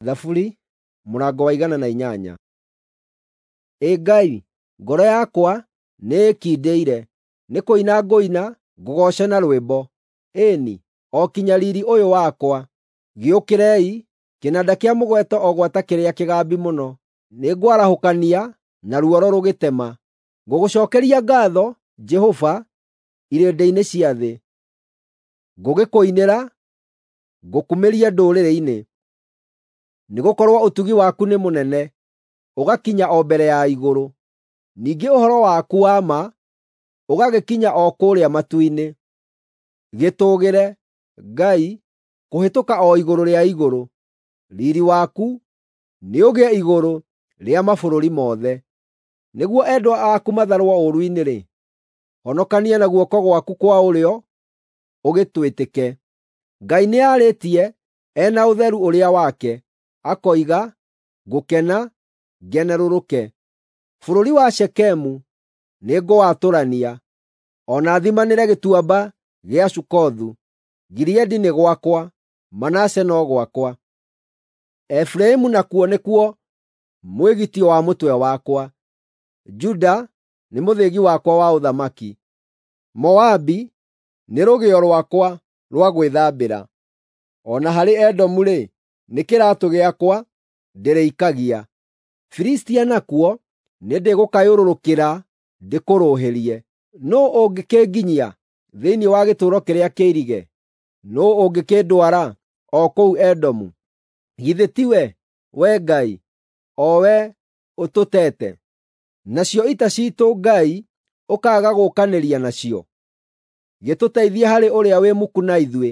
Thaburi mũrango wa 108. Ĩ Ngai, ngoro yakwa nĩĩkindĩire, nĩ kũina ngũina ngũgooce na rwĩmbo. Ĩĩ-ni, o kinya riiri ũyũ wakwa. Gĩũkĩrei, kĩnanda kĩa mũgeeto o gwata kĩrĩa kĩgambi mũno. Nĩngwarahũkania na ruoro rũgĩtema. Ngũgũcookeria ngaatho, Jehova, irĩndĩ-inĩ cia thĩ. Ngũgĩkũinĩra, ngũkumĩrie ndũrĩrĩ-inĩ. Nĩgũkorwo ũtugi waku nĩ mũnene, ũgakinya o mbere ya igũrũ, ningĩ ũhoro waku wa ma ũgagĩkinya o kũrĩa matu-inĩ. Gĩtũũgĩre, Ngai, kũhĩtũka o igũrũ rĩa igũrũ; riiri waku nĩũgĩe igũrũ rĩa mabũrũri mothe. Nĩguo endwa aku matharwo ũũru-inĩ-rĩ, honokania na guoko gwaku kwa ũrĩo ũgĩtwĩtĩke. Ngai nĩarĩtie e na ũtheru ũrĩa wake, akoiga, “Ngũkena, ngenerũrũke. Bũrũri wa Shekemu nĩngũwatũrania, o na thimanĩre gĩtuamba gĩa Sukothu. Gileadi nĩ gwakwa, Manase no gwakwa. Efiraimu nakuo nĩkuo mwĩgitio wa mũtwe wakwa, Juda nĩ mũthĩgi wakwa wa ũthamaki. Moabi nĩ rũgĩo rwakwa rwa gwĩthambĩra, o na harĩ Edomu-rĩ, nĩ kĩraatũ gĩakwa ndĩrĩikagia. Filistia nakuo nĩndĩgũkayũrũrũkĩra ndĩkũrũhĩrie. Nũũ ũngĩkĩnginyia thĩinĩ wa gĩtũũro kĩrĩa kĩirige? Nũũ ũngĩkĩndwara o kũu Edomu? Githĩ tiwe, Wee Ngai, o Wee ũtũteete? Nacio ita ciitũ Ngai ũkaaga gũũkanĩria nacio? Gĩtũteithie harĩ ũrĩa wĩ muku na ithuĩ.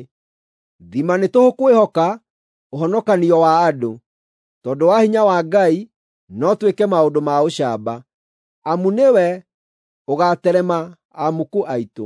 Thima nĩ tũhũ kwĩhoka ũhonokanio wa andũ. Tondũ wa hinya wa Ngai no twĩke maũndũ ma ũcamba, amu nĩwe ũgaaterema amuku aitũ.